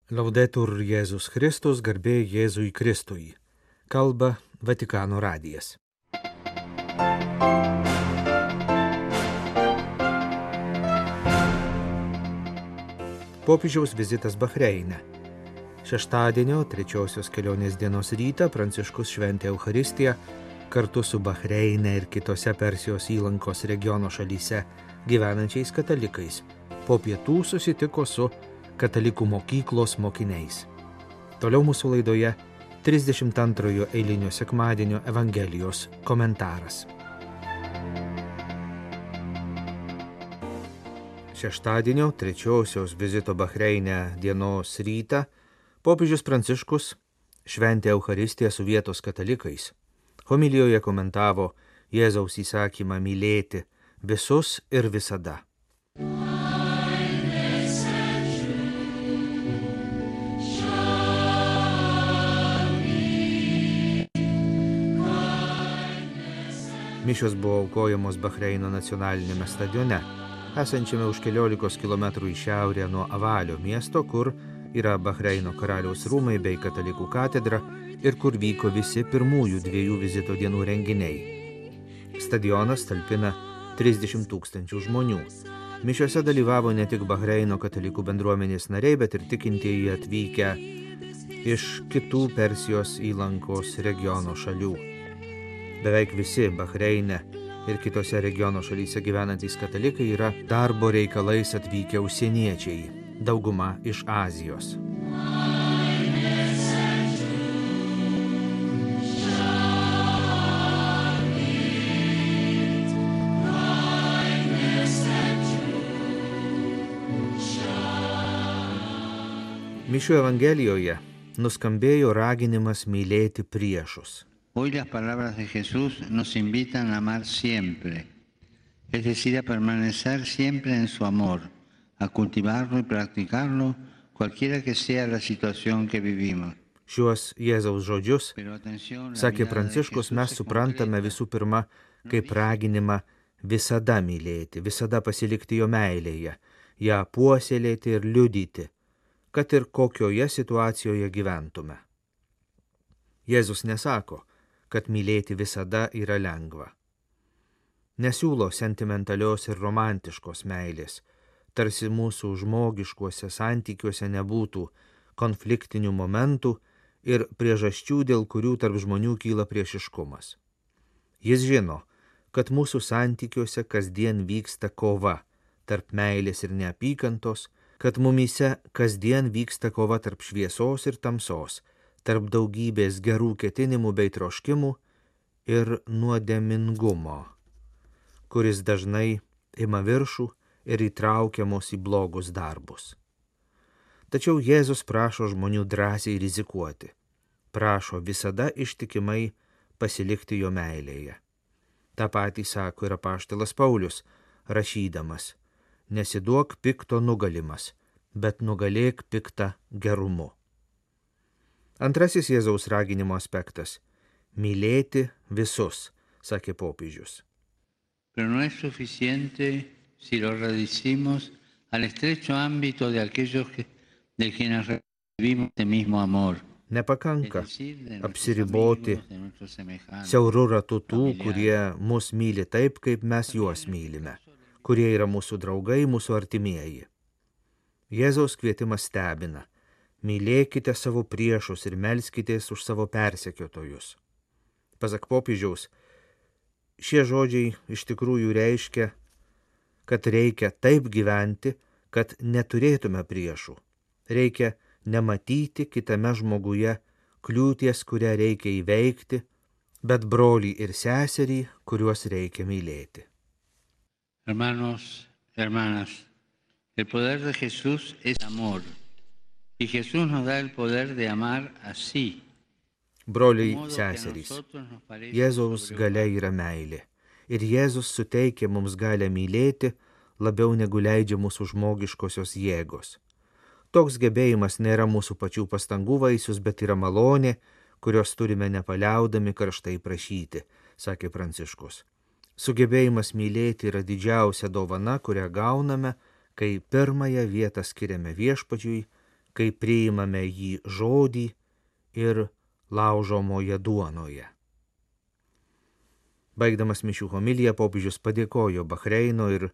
Laudetur Jėzus Kristus, garbė Jėzui Kristui. Kalba Vatikano radijas. Popiežiaus vizitas Bahreine. Šeštadienio, trečiosios kelionės dienos rytą Pranciškus šventė Eucharistiją kartu su Bahreine ir kitose Persijos įlankos regiono šalyse gyvenančiais katalikais. Po pietų susitiko su katalikų mokyklos mokiniais. Toliau mūsų laidoje 32 eilinio sekmadienio Evangelijos komentaras. Šeštadienio, trečiosios vizito Bahreine dienos rytą popiežius Pranciškus šventė Eucharistiją su vietos katalikais. Homilijoje komentavo Jėzaus įsakymą mylėti visus ir visada. Mišios buvo aukojamos Bahreino nacionalinėme stadione, esančiame už 14 km į šiaurę nuo Avalio miesto, kur yra Bahreino karaliaus rūmai bei katalikų katedra ir kur vyko visi pirmųjų 2 vizito dienų renginiai. Stadionas talpina 30 000 žmonių. Mišiose dalyvavo ne tik Bahreino katalikų bendruomenės nariai, bet ir tikintieji atvykę iš kitų Persijos įlankos regiono šalių. Beveik visi Bahreine ir kitose regiono šalyse gyvenantys katalikai yra darbo reikalais atvykę užsieniečiai, dauguma iš Azijos. Mišių Evangelijoje nuskambėjo raginimas mylėti priešus. Hoy las palabras de Jesús nos invitan a amar siempre, es decir, a permanecer siempre en su amor, a cultivarlo y practicarlo, cualquiera que sea la situación que vivimos. Šiuos Jėzaus žodžius, sakė Pranciškus, mes suprantame visų pirma kaip raginimą visada mylėti, visada pasilikti jo meilėje, ją puoselėti ir liudyti, kad ir kokioje situacijoje gyventume. Jėzus nesako, kad mylėti visada yra lengva. Nesiūlo sentimentalios ir romantiškos meilės, tarsi mūsų žmogiškuose santykiuose nebūtų konfliktinių momentų ir priežasčių, dėl kurių tarp žmonių kyla priešiškumas. Jis žino, kad mūsų santykiuose kasdien vyksta kova tarp meilės ir neapykantos, kad mumyse kasdien vyksta kova tarp šviesos ir tamsos, tarp daugybės gerų ketinimų bei troškimų ir nuodėmingumo, kuris dažnai ima viršų ir įtraukia mus į blogus darbus. Tačiau Jėzus prašo žmonių drąsiai rizikuoti, prašo visada ištikimai pasilikti jo meilėje. Ta patį sako ir apaštalas Paulius, rašydamas, nesiduok pikto nugalimas, bet nugalėk piktą gerumu. Antrasis Jėzaus raginimo aspektas – mylėti visus, sakė popiežius. Pero no es suficiente si lo reducimos al estrecho ámbito de aquellos de quienes recibimos este mismo amor. Nepakanka apsiriboti siauru ratu tų, kurie mus myli taip, kaip mes juos mylime, kurie yra mūsų draugai, mūsų artimieji. Jėzaus kvietimas stebina. Mylėkite savo priešus ir melskitės už savo persekiotojus. Pasak popiežiaus, šie žodžiai iš tikrųjų reiškia, kad reikia taip gyventi, kad neturėtume priešų. Reikia nematyti kitame žmoguje kliūties, kurią reikia įveikti, bet brolį ir seserį, kuriuos reikia mylėti. Hermanos, hermanas, el poder de Jesús es amor. Y Jesús nos da el poder de amar así. Broliai, seserys, Jėzaus galia yra meilė. Ir Jėzus suteikia mums galę mylėti labiau negu leidžia mūsų žmogiškosios jėgos. Toks gebėjimas nėra mūsų pačių pastangų vaisius, bet yra malonė, kurios turime nepaliaudami karštai prašyti, sakė Pranciškus. Sugebėjimas mylėti yra didžiausia dovana, kurią gauname, kai pirmąją vietą skiriame viešpačiui, kai priimame jį žodį ir laužomoje duonoje. Baigdamas mišių homiliją, popiežius padėkojo Bahreino ir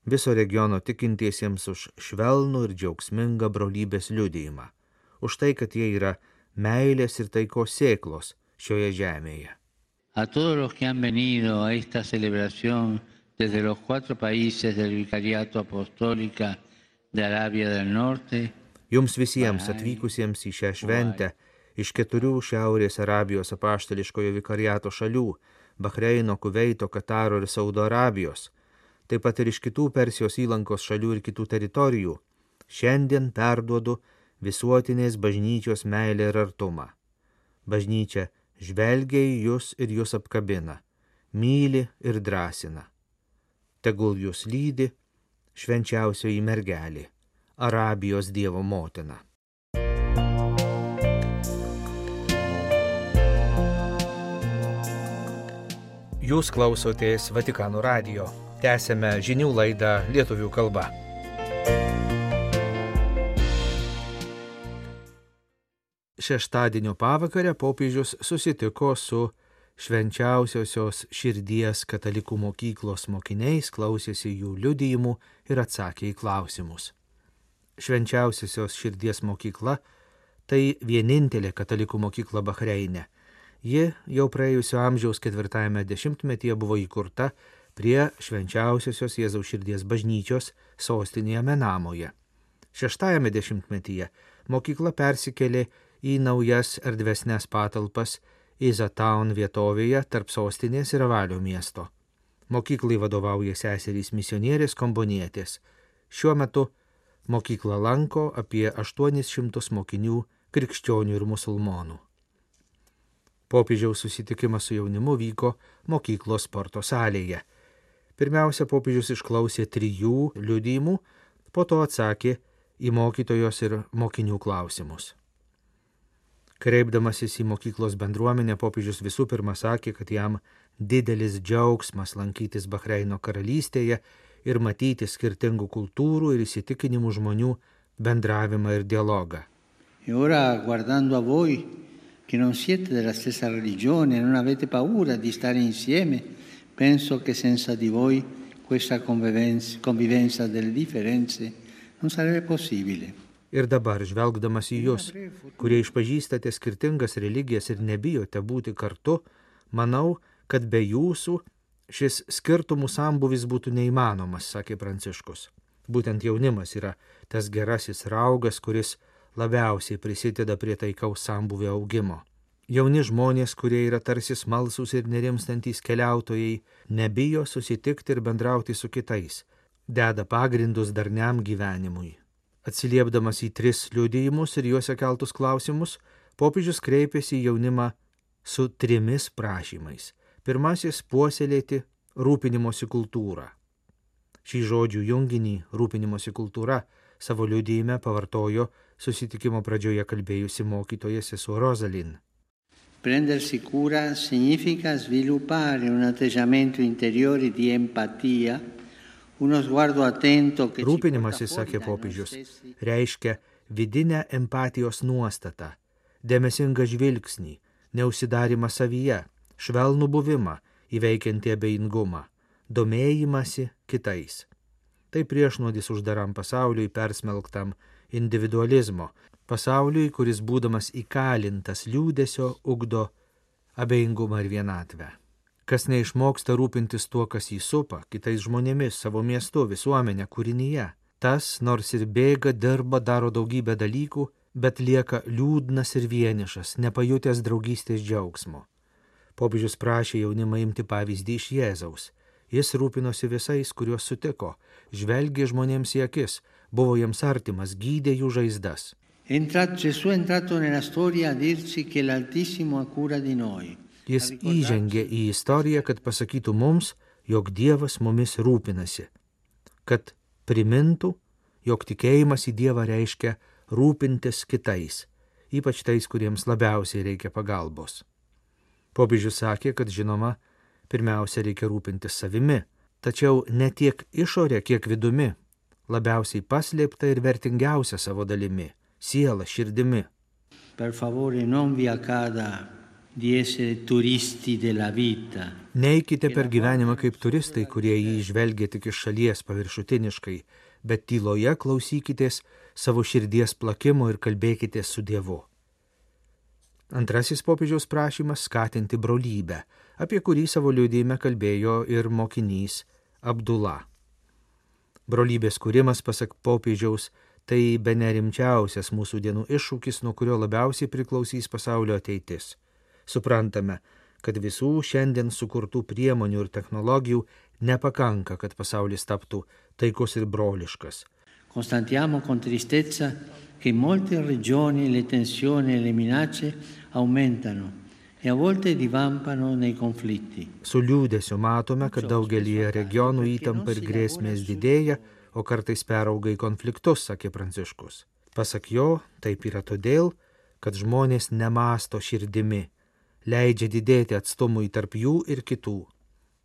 viso regiono tikintiesiems už švelnų ir džiaugsmingą brolybės liudijimą, už tai, kad jie yra meilės ir taikos sėklos šioje žemėje. A todos los que han venido a esta celebración desde los 4 países del Vicariato Apostólica de Arabia del Norte. Jums visiems atvykusiems į šią šventę iš 4 Šiaurės Arabijos apaštališkojo vikariato šalių – Bahreino, Kuveito, Kataro ir Saudo Arabijos, taip pat ir iš kitų Persijos įlankos šalių ir kitų teritorijų, šiandien perduodu visuotinės bažnyčios meilę ir artumą. Bažnyčia žvelgia į jūs ir jūs apkabina, myli ir drąsina. Tegul jūs lydi švenčiausioji mergelė, Arabijos Dievo motina. Jūs klausotės Vatikano radijo. Tęsėme žinių laidą lietuvių kalba. Šeštadienio pavakarę popiežius susitiko su Švenčiausiosios širdies katalikų mokyklos mokiniais, klausėsi jų liudijimų ir atsakė į klausimus. Švenčiausiosios širdies mokykla – tai vienintelė katalikų mokykla Bahreine. Ji jau praėjusio amžiaus 4 dešimtmetyje buvo įkurta prie Švenčiausiosios Jėzaus širdies bažnyčios sostinėje Menamoje. 6 dešimtmetyje mokykla persikėlė į naujas erdvesnes patalpas Izataun vietovėje tarp sostinės ir Avalio miesto. Mokyklai vadovauja seserys misionierės kombonietės. Šiuo metu mokyklą lanko apie 800 mokinių krikščionių ir musulmonų. Popiežiaus susitikimas su jaunimu vyko mokyklos sporto salėje. Pirmiausia, popiežius išklausė 3 liudijimų, po to atsakė į mokytojos ir mokinių klausimus. Kreipdamasis į mokyklos bendruomenę, popiežius visų pirma sakė, kad jam didelis džiaugsmas lankytis Bahreino karalystėje ir matyti skirtingų kultūrų ir įsitikinimų žmonių bendravimą ir dialogą. E ora, guardando a voi, che non siete della stessa religione, non avete paura di stare insieme, penso che senza di voi questa convivenza delle differenze non sarebbe possibile. Ir dabar, žvelgdamas į jūs, kurie išpažįstate skirtingas religijas ir nebijote būti kartu, manau, kad be jūsų šis skirtumų sambūvis būtų neįmanomas, sakė Pranciškus. Būtent jaunimas yra tas gerasis raugas, kuris labiausiai prisideda prie taikaus sambūvio augimo. Jauni žmonės, kurie yra tarsi smalsūs ir nerimstantys keliautojai, nebijo susitikti ir bendrauti su kitais, deda pagrindus darniam gyvenimui. Atsiliepdamas į 3 liudijimus ir juose keltus klausimus, popiežius kreipėsi į jaunimą su 3 prašymais. Pirmasis – puoselėti rūpinimosi kultūrą. Šį žodžių junginį rūpinimosi kultūra savo liudijime pavartojo susitikimo pradžioje kalbėjusi mokytoja sesuo Rosalin. Prendersi cura significa sviluppare un atteggiamento interiore di empatia, uno sguardo attento che Rūpinimasis, sakė popiežius, reiškia vidinę empatijos nuostatą, dėmesingą žvilgsnį, neužsidarimą savyje, švelnų buvimą, įveikiantį abejingumą, domėjimąsi kitais. Tai priešnuodis uždaram pasauliui persmelktam individualizmo, pasauliui, kuris būdamas įkalintas liūdesio ugdo abejingumą ir vienatvę. Kas neišmoksta rūpintis tuo, kas jį supa, kitais žmonėmis, savo miestu, visuomenė, kūrinyje, tas, nors ir bėga, dirba, daro daugybę dalykų, bet lieka liūdnas ir vienišas, nepajutęs draugystės džiaugsmo. Popiežius prašė jaunimą imti pavyzdį iš Jėzaus. Jis rūpinosi visais, kuriuos sutiko, žvelgė žmonėms į akis, buvo jiems artimas, gydė jų žaizdas. Gesù è entrato nella storia a dirci che l'Altissimo ha cura di noi. Jis įžengė į istoriją, kad pasakytų mums, jog Dievas mumis rūpinasi, kad primintų, jog tikėjimas į Dievą reiškia rūpintis kitais, ypač tais, kuriems labiausiai reikia pagalbos. Popiežius sakė, kad žinoma, pirmiausia reikia rūpintis savimi, tačiau ne tiek išorė, kiek vidumi, labiausiai paslėpta ir vertingiausia savo dalimi, siela, širdimi. Per favore non vi accada di essere turisti della vita. Neikite per gyvenimą kaip turistai, kurie jį žvelgia tik iš šalies paviršutiniškai, bet tyloje klausykitės savo širdies plakimo ir kalbėkite su Dievu. Antrasis popiežiaus prašymas skatinti brolybę, apie kurį savo liudijime kalbėjo ir mokinys Abdula. Brolybės kūrimas, pasak popiežiaus, tai bene rimčiausias mūsų dienų iššūkis, nuo kurio labiausiai priklausys pasaulio ateitis. Suprantame, kad visų šiandien sukurtų priemonių ir technologijų nepakanka, kad pasaulis taptų taikus ir broliškas. Constatiamo con tristezza che in molte regioni le tensioni e le minacce aumentano e a volte divampano nei conflitti. Su liūdesiu matome, kad daugelyje regionų įtampa ir grėsmės didėja, o kartais perauga į konfliktus, sakė Pranciškus. Pasak jo, taip yra todėl, kad žmonės nemąsto širdimi, leidžia didėti atstumui tarp jų ir kitų.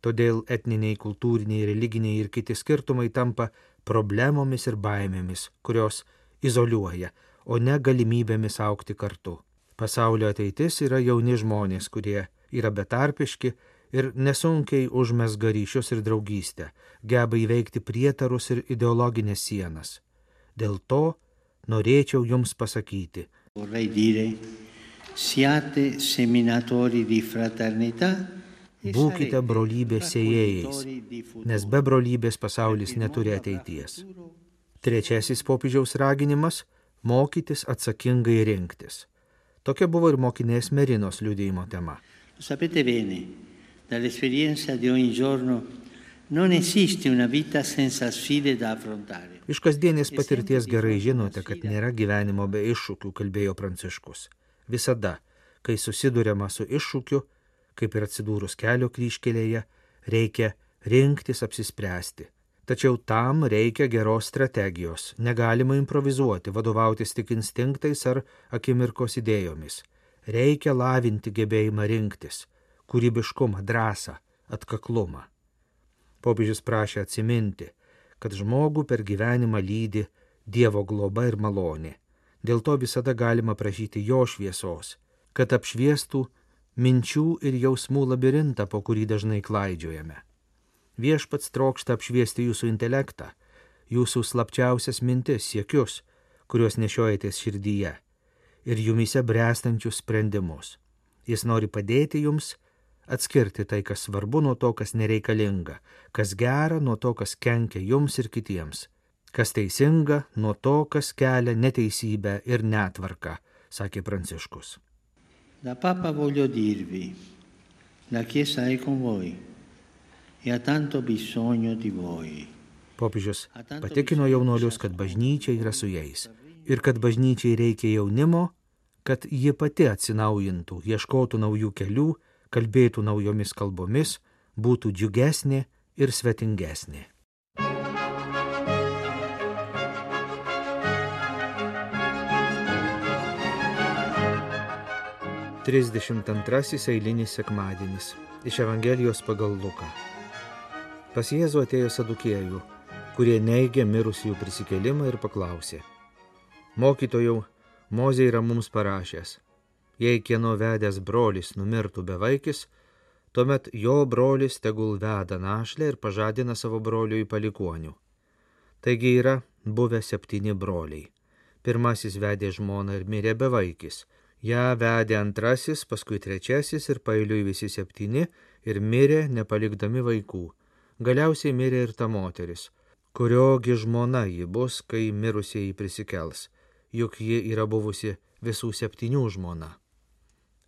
Todėl etniniai, kultūriniai, religiniai ir kiti skirtumai tampa problemomis ir baimėmis, kurios izoliuoja, o ne galimybėmis augti kartu. Pasaulio ateitis yra jauni žmonės, kurie yra betarpiški ir nesunkiai užmezga ryšius ir draugystę, geba įveikti prietarus ir ideologinės sienas. Dėl to norėčiau jums pasakyti. Vorrei dire, siate seminatori di fraternità. Būkite brolybės sėjėjais, nes be brolybės pasaulis neturi ateities. Trečiasis popiežiaus raginimas – mokytis atsakingai rinktis. Tokia buvo ir mokinės Merinos liudijimo tema. Sapete bene, dall'esperienza di ogni giorno non esiste una vita senza sfide da affrontare. Iš kasdienės patirties gerai žinote, kad nėra gyvenimo be iššūkių, kalbėjo Pranciškus. Visada, kai susiduriama su iššūkiu, kaip ir atsidūrus kelio kryžkelėje, reikia rinktis apsispręsti. Tačiau tam reikia geros strategijos, negalima improvizuoti, vadovautis tik instinktais ar akimirkos idėjomis. Reikia lavinti gebėjimą rinktis, kūrybiškumą, drąsą, atkaklumą. Popiežius prašė atsiminti, kad žmogų per gyvenimą lydi Dievo globa ir malonė. Dėl to visada galima prašyti jo šviesos, kad apšviestų minčių ir jausmų labirintą, po kurį dažnai klaidžiojame. Viešpats trokšta apšviesti jūsų intelektą, jūsų slapčiausias mintis, siekius, kuriuos nešiojatės širdyje, ir jumyse bręstančius sprendimus. Jis nori padėti jums atskirti tai, kas svarbu, nuo to, kas nereikalinga, kas gera, nuo to, kas kenkia jums ir kitiems, kas teisinga, nuo to, kas kelia neteisybę ir netvarką, sakė Pranciškus. Da Papa voglio dirvi, la Chiesa è con voi e ha tanto bisogno di voi. Popiežius patikino jaunuolius, kad bažnyčia yra su jais ir kad bažnyčiai reikia jaunimo, kad ji pati atsinaujintų, ieškotų naujų kelių, kalbėtų naujomis kalbomis, būtų džiugesnė ir svetingesnė. Trisdešimt antrasis eilinis sekmadienis iš Evangelijos pagal Luką. Pas Jėzų atėjo sadukiejų, kurie neigė mirusiųjų prisikėlimą ir paklausė: Mokytojau, Mozė yra mums parašęs, jei kieno vedęs brolis numirtų bevaikis, tuomet jo brolis tegul veda našlę ir pažadina savo broliui palikuonių. Taigi yra buvę 7 broliai. Pirmasis vedė žmoną ir mirė bevaikis. Ja vedė antrasis, paskui trečiasis ir paeiliui visi 7 ir mirė nepalikdami vaikų. Galiausiai mirė ir ta moteris, kuriogi žmona ji bus, kai mirusieji prisikels, juk ji yra buvusi visų 7 žmona.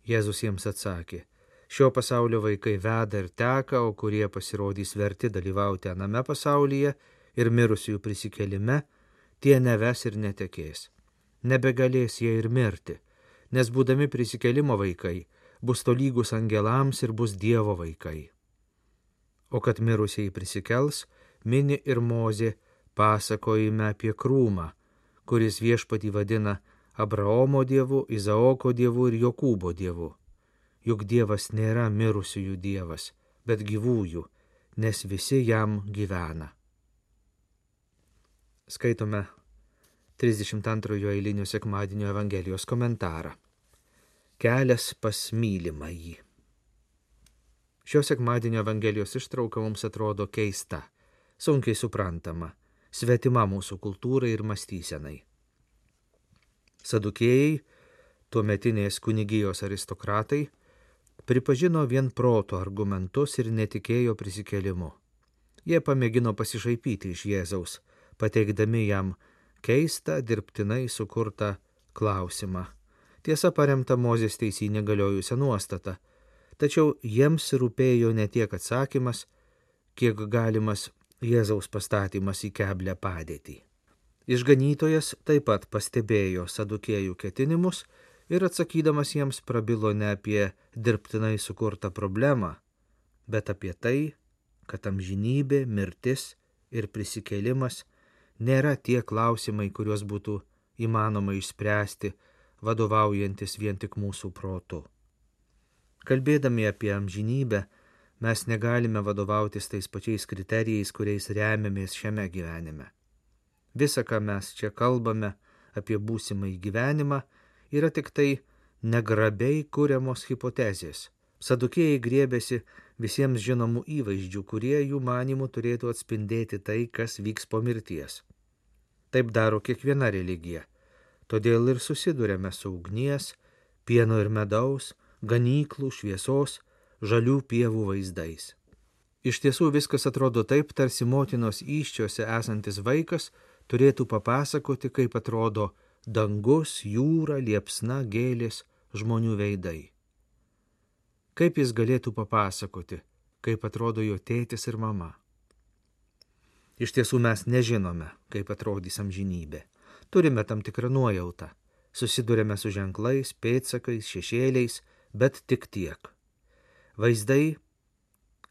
Jėzus jiems atsakė: šio pasaulio vaikai veda ir teka, o kurie pasirodys verti dalyvauti aname pasaulyje ir mirusiųjų prisikėlime, tie neves ir netekės. Nebegalės jie ir mirti, nes būdami prisikėlimo vaikai, bus tolygus angelams ir bus Dievo vaikai. O kad mirusieji prisikels, mini ir Mozė pasakojime apie krūmą, kuris viešpatį vadina Abraomo dievu, Izaoko dievu ir Jokūbo dievu. Juk Dievas nėra mirusiųjų dievas, bet gyvųjų, nes visi jam gyvena. Skaitome 32 eilinio sekmadienio Evangelijos komentarą. Kelias pas mylimąjį. Šio sekmadienio Evangelijos ištrauka mums atrodo keista, sunkiai suprantama, svetima mūsų kultūrai ir mąstysenai. Sadukėjai, tuometinės kunigijos aristokratai, pripažino vien proto argumentus ir netikėjo prisikėlimu. Jie pamėgino pasišaipyti iš Jėzaus, pateikdami jam keistą, dirbtinai sukurtą klausimą. Tiesa, paremta Mozės teisyne galiojusią nuostatą, tačiau jiems rūpėjo ne tiek atsakymas, kiek galimas Jėzaus pastatymas į keblią padėtį. Išganytojas taip pat pastebėjo sadukėjų ketinimus ir atsakydamas jiems prabilo ne apie dirbtinai sukurtą problemą, bet apie tai, kad amžinybė, mirtis ir prisikėlimas nėra tie klausimai, kuriuos būtų įmanoma išspręsti, vadovaujantis vien tik mūsų protu. Kalbėdami apie amžinybę, mes negalime vadovautis tais pačiais kriterijais, kuriais remiamės šiame gyvenime. Visa, ką mes čia kalbame apie būsimąjį gyvenimą, yra tik tai negrabiai kuriamos hipotezės. Sadukėjai griebėsi visiems žinomų įvaizdžių, kurie jų manymų turėtų atspindėti tai, kas vyks po mirties. Taip daro kiekviena religija. Todėl ir susiduriame su ugnies, pieno ir medaus, ganyklų, šviesos, žalių pievų vaizdais. Iš tiesų viskas atrodo taip, tarsi motinos įsčiose esantis vaikas turėtų papasakoti, kaip atrodo dangus, jūra, liepsna, gėlės, žmonių veidai. Kaip jis galėtų papasakoti, kaip atrodo jo tėtis ir mama? Iš tiesų mes nežinome, kaip atrodys amžinybė. Turime tam tikrą nuojautą. Susidurėme su ženklais, pėdsakais, šešėliais, bet tik tiek. Vaizdai,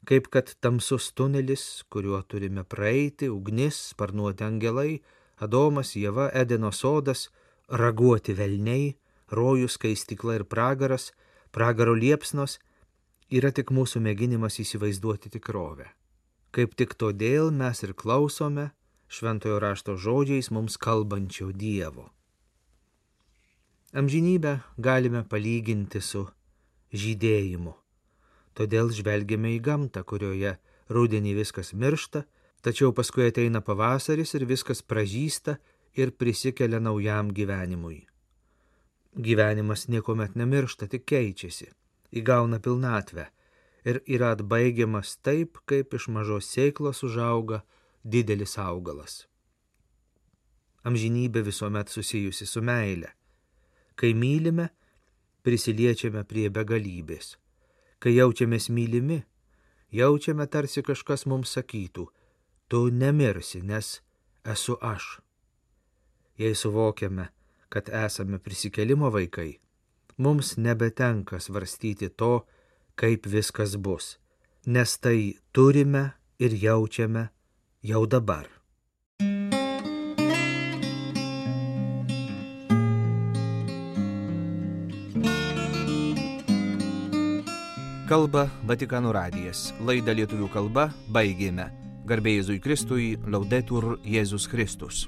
kaip kad tamsus tunelis, kuriuo turime praeiti, ugnis, sparnuoti angelai, Adomas, Ieva, Edeno sodas, raguoti velniai, rojus, skaistykla ir pragaras, pragaro liepsnos, yra tik mūsų mėginimas įsivaizduoti tikrovę. Kaip tik todėl mes ir klausome šventojo rašto žodžiais mums kalbančio Dievo. Amžinybę galime palyginti su žydėjimu. Todėl žvelgiame į gamtą, kurioje rudenį viskas miršta, tačiau paskui ateina pavasaris ir viskas pražysta ir prisikelia naujam gyvenimui. Gyvenimas niekuomet nemiršta, tik keičiasi, įgauna pilnatvę ir yra atbaigiamas taip, kaip iš mažos sėklos užauga didelis augalas. Amžinybė visuomet susijusi su meile. Kai mylime, prisiliečiame prie begalybės. Kai jaučiamės mylimi, jaučiame tarsi kažkas mums sakytų, tu nemirsi, nes esu aš. Jei suvokiame, kad esame prisikėlimo vaikai, mums nebetenka svarstyti to, kaip viskas bus, nes tai turime ir jaučiame jau dabar. Kalba Vatikano radijas. Laidą lietuvių kalba baigėme. Garbė Jėzui Kristui, Laudetur Jėzus Kristus.